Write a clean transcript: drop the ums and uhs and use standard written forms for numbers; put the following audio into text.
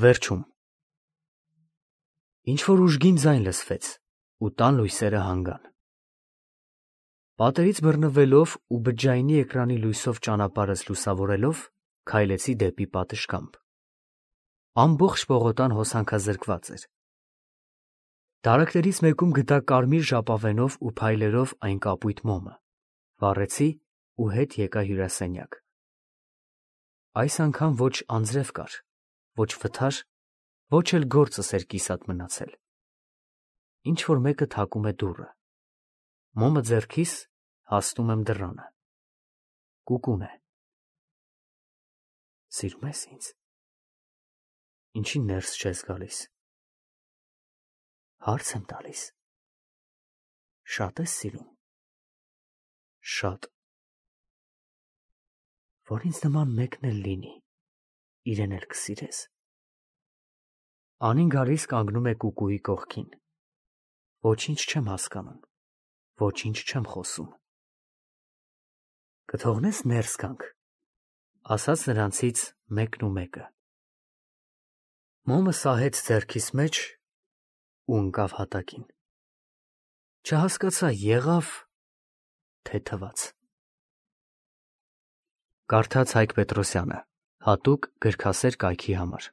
Վերջում ինչ-որ ուժգին ձայն լսվեց, ու տան լույսերը հանգան։ Պատերից բռնվելով ու բջջայինի էկրանի լույսով ճանապարհս լուսավորելով, քայլեցի դեպի պատշգամբ։ Ամբողջ պողոտան հոսանքազրկված էր։ Դարակներից մեկում գտա կարմիր ժապավենով ու փայլերով այն կապույտ մոմը, վառեցի ու հետ եկա հյուրասենյակ։ Այս անգամ ոչ անձրև կար, ոչ վթար, ոչ էլ գործս էր կիսատ մնացել։ Ինչ-որ մեկը թակում է դուռը։ Մոմը ձեռքիս, հասնում եմ դռանը։ Կուկուն է։ Սիրում ես ինձ։ Ինչի ներս չես գալիս։ Հարց եմ տալիս։ Շատ ես սիրում։ Շատ։ Որ ինձ նման մեկն էլ լինի, իրեն էլ կսիրես։ Անին գալիս կանգնում է կուկուի կողքին։ Ոչինչ չեմ հասկանում, ոչինչ չեմ խոսում։ Կթողնես ներս գանք, ասաց նրանցից մեկն ու մեկը։ Մոմը սահեց ձեռքիս մեջ ու ընկավ հատակին։ Չհասկացա եղավ, թե թվաց։ Կարդաց Հայկ Պետրոսյանը, հատուկ գրքասեր կայքի համար։